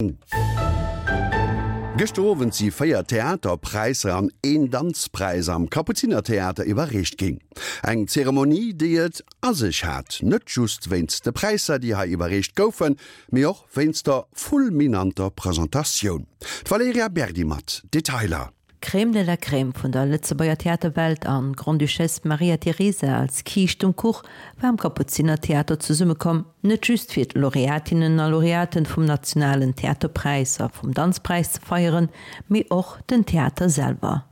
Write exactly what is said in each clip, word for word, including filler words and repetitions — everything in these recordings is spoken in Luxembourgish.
Moien. Gëschter Owend si véier Theaterpräisser an een Danzpräis am Kapuzinertheater iwwerreecht ginn. Eng Zeremonie, déi et a sech hat, net just wéinst de Präisser, déi hei iwwerreecht goufen, mee och wéinst der fulminanter Presentatioun. D'Valerija Berdi mat Detailer. D'Crème de la Crème vun der Lëtzebuerger Theaterwelt an d'Grande-Duchesse Maria Teresa als Kiischt um Kuch war am Kapuzinertheater zesummekomm, net just fir d'Laureatinnen a Laureaten vum nationalen Theaterpräis a vum Danzpräis ze feieren, mee och den Theater selwer.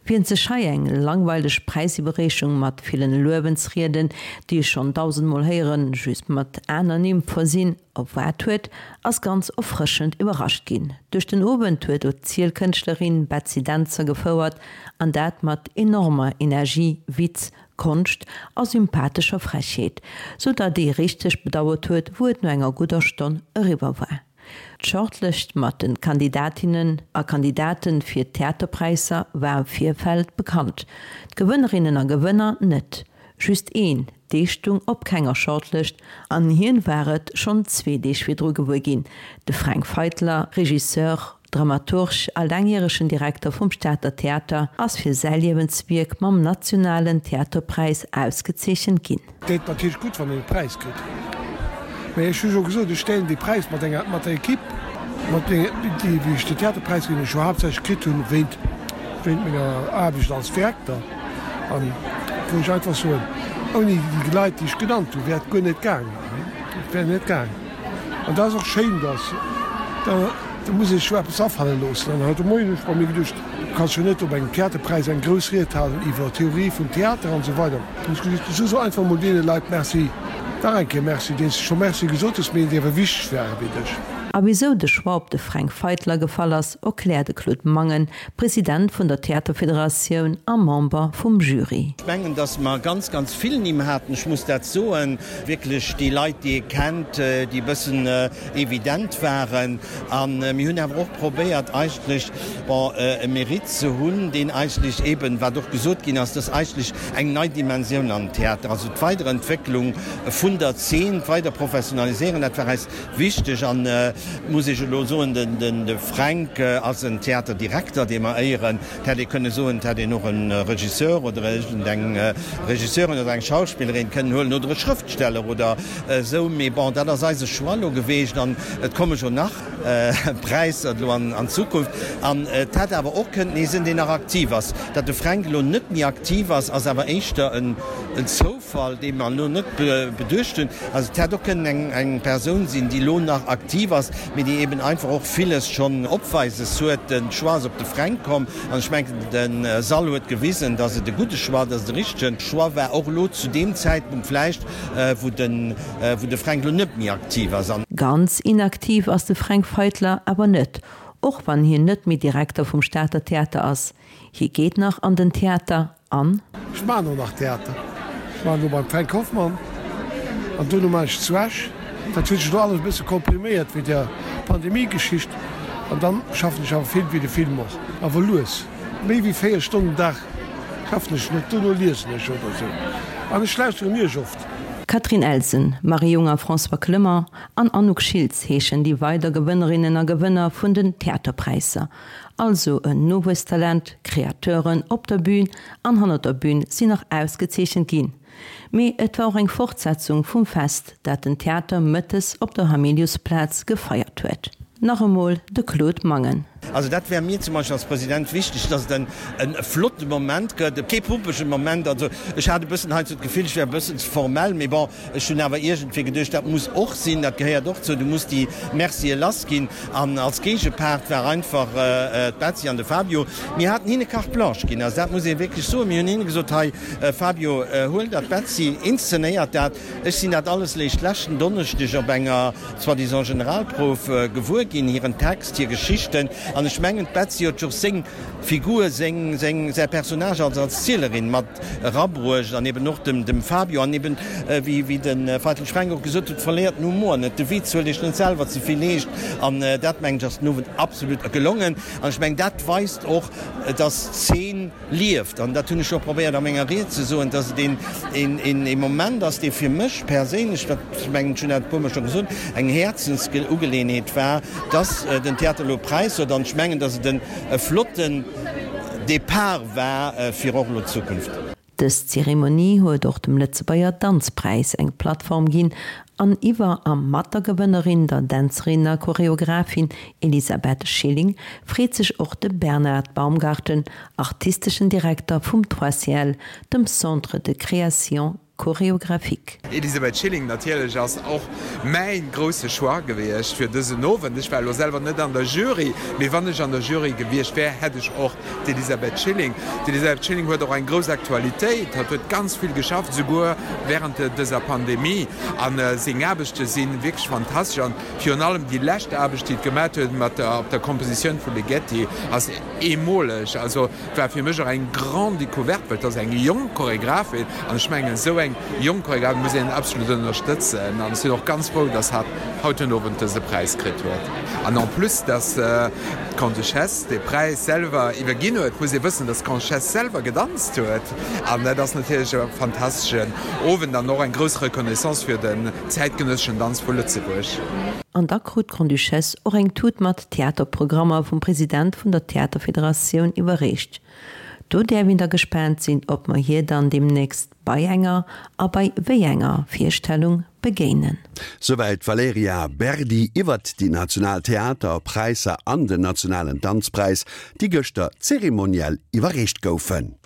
Wien sech hei eng langweileg Präisiwwerreechung mat villen Luewensrieden, déi ech schonn dausendmol héieren, just mat aner Nimm versinn, erwaart huet, ass ganz erfrëschend iwwerrascht ginn. Duerch den Owend huet d'Erzielkënschtlerin Betsy Dentzer gefouert, an dat mat enormer Energie, Witz, Konscht a sympathescher Frechheet, sou datt ee richteg bedauert huet, wou et no enger gudder Stonn eriwwer war. D'Shortlëscht mat de Kandidatinnen a Kandidate fir d'Theaterpräisser war am Virfeld bekannt, d'Gewënnerinnen a Gewënner net. Just een, dee stung op kenger Shortlëscht an hien war et schonn zwee Deeg virdru gewuer ginn, de Fränk Feitler, Regisseur, Dramaturg a laangjäregen Direkter vum Stater Theater, ass fir säi Liewenswierk mam nationalen Theaterpräis ausgezeechent ginn. Deet natierlech gutt, wann een e Präis kritt. Mä ech hu jo gesot, ech deelen dee Präis mat enger, mat der Ekipp, mat déi, wéi ech den Theaterpräis, deen ech jo haaptsächlech kritt hunn, wéint, wéint menger Aarbecht als Direkter, an wou ech einfach soen, ouni déi Leit, déi ech genannt hunn, wär et guer net gaangen, et wär net gaangen. An dat ass och schéin, dass, da, da muss ee sech jo eppes afale loossen. An haut de Moien hunn ech bei mir geduecht, du kanns jo net op engem Theaterpräis eng grouss Ried halen iwwer Theorie vum Theater an esou weider. Hunn ech gesot, so so einfach emol deene Leit Merci. Nach eng Kéier Merci, deenen s de scho Merci gesot hues, mee déi awer wichteg ware fir dech. A wisou de Choix op de Fränk Feitler gefall ass, erkläert de Claude Mangen, President vun der Theaterfederatioun a Member vum Jury. Ech mengen, datt mer ganz, ganz vill Nimm haten. Ech muss dat soen, wierklech déi Leit, déi ee kennt, déi e bëssen evident waren. A mir hunn awer och probéiert eigentlech, bon, e Mérite ze hunn, deen eigentlech eeben, wat och gesot ginn ass, dass eigentlech eng nei Dimensioun an den Theater, also d'Weiderentwécklung vun der Zeen, d'Weiderprofessionaliséieren, dat war eis wichteg. An et muss ech elo soen, de Fränk ass en Theaterdirekter, dee mer éieren. Et hätt ee kënne soen, et hätt een och e Regisseur oder iergendeng Regisseurin oder eng Schauspillerin kënnen huelen oder e Schrëftsteller oder esou. Mee bon, dat ass eise Choix elo geweecht an et komme jo nach Präisser elo an Zukunft. An et hätt awer och kënnten ee sinn, deen nach aktiv ass. Datt de Fränk elo net méi aktiv ass, ass awer éischter en Zoufall, dee mer elo net beduecht hunn. Also et hätt och kënnen eng Persoun sinn, déi elo nach aktiv ass, mee déi eben einfach och villes schonn opweises huet. De Choix ass op de Fränk komm an ech mengen, de Sall huet gewisen, datt et e gudde Choix, datt et e richtege Choix war, och elo zu deem Zäitpunkt vläicht, wou de wou de Fränk elo net méi aktiv ass. Ganz inaktiv ass de Fränk Feitler awer net, och wann hien net méi Direkter vum Stater Theater ass. Hie geet nach an den Theater an. Ech maachen och nach Theater. Ech maachen elo beim Fränk Hoffmann an duerno maachen ech zu Esch. Dat huet sech elo alles e bësse kompriméiert wéi der Pandemie-Geschicht. An dann schaffen ech awer vill wéi de Film och, awer lues. Méi wéi véier Stonnen den Dag schaffen ech net, duerno liesen ech oder esou. An ech lauschteren iech oft. Catherine Elsen, Marie Jung a François Clement an Anouk Schiltz heeschen déi weider Gewënnerinnen a Gewënner vun den Theaterpräisser. Also en Nowuesstalent, Kreateuren op der Bün an hannert der Bün sinn nach ausgezeechent ginn. Mee et war och eng Fortsetzung vum Fest, dat den Theater mëttes op der Hamiliusplaz gefeiert huet. Nach emol de Claude Mangen. Also dat wär mir zum Beispill als President wichteg, dass et e flotte Moment gëtt, kee pumpege Moment. Also ech hat e bëssen heiansdo d'Gefill, ech wär e bëssen ze formell, mee bon, ech hunn awer iergendwéi geduecht, dat muss och sinn, dat gehéiert och zou, du muss déi Mercië lassginn. An als Géigepart war einfach d'Betsy an de Fabio. Mir haten hinne Carte blanche ginn, also dat muss ee wierklech soen. Mir hunn hinne gesot, hei Fabio, huel dat, d'Betsy inszenéiert dat. Ech sinn dat alles léischt leschten Donneschdeg op enger soi-disant Generalprouf gewuer ginn, hiren Text, hir Geschichten. An ech mengen, d'Betsy huet jo och seng Figur, seng, seng, säi Personnage als Erzielerin mat erabruecht an eben och dem, dem Fabio. An eben, wéi, wéi de Feitel Fränk och gesot huet, verléiert den Humor net, de Witz huelt Iech net selwer ze vill eescht. An dat, mengen ech, ass den Owend absolut gelongen. An ech mengen, dat weist och, dass d'Zeen lieft. An dat hunn ech och probéiert a menger Ried ze soen, dass et een, een, een, ee Moment ass, dee fir mech perséinlech, dat mengen ech hunn dat e puermol scho gesot, eng Häerzensugeleeënheet war, dass den Theater elo e Präis huet. An ech mengen, dass et en e flotten Depart war fir och elo d'Zukunft. Dës Zeremonie huet och dem Lëtzebuerger Danzpräis eng Plattform ginn an iwwer a mat der Gewënnerin, der Dänzerin a Choreographin Elisabeth Schilling, freet sech och de Bernard Baumgarten, artisteschen Direkter vum Trois Ciel, dem Centre de création chorégraphique. Elisabeth Schilling, Natierlech ass och mäin grousse Choix gewiescht fir dësen Owend. Ech war elo selwer net an der Jury, mee wann ech an der Jury gewiescht wär, hätt ech och d'Elisabeth Schilling. D'Elisabeth Schilling huet och eng grouss Aktualitéit, hatt huet ganz vill geschafft, souguer während dëser Pandemie, a seng Aarbechte si wierklech fantastesch. An virun allem déi lescht Aarbecht, déi et gemat huet mat der op der Kompositioun vu Ligeti, ass eemoleg. Also war fir mech och eng grande Découverte, well et ass eng jonk Choregraphin an ech mengen, esou eng jonk Choregraphin muss een absolut ënnerstëtzen an ech sinn och ganz frou, dass hatt haut den Owend dëse Präis kritt huet. An en plus, dass d'Grande-Duchesse dee Präis selwer iwwerginn huet, muss ee wëssen, dass d'Grande-Duchesse selwer gedanzt huet an dat ass natierlech e fantasteschen Owend an och eng grouss Reconnaissance fir den zäitgenësseschen Danz vu Lëtzebuerg. An da krut d'Grande-Duchesse och eng Tut mat Theaterprogrammer vum President vun der Theaterfederatioun iwwerreecht. Do däerf een da gespaant sinn, ob mer hir dann deemnächst bei enger a bei wéi enger Virstellung begéinen. Souwäit d'Valerija Berdi iwwert déi national Theaterpräisser an den nationalen Danzpräis, déi gëschter zeremoniell iwwerreecht goufen.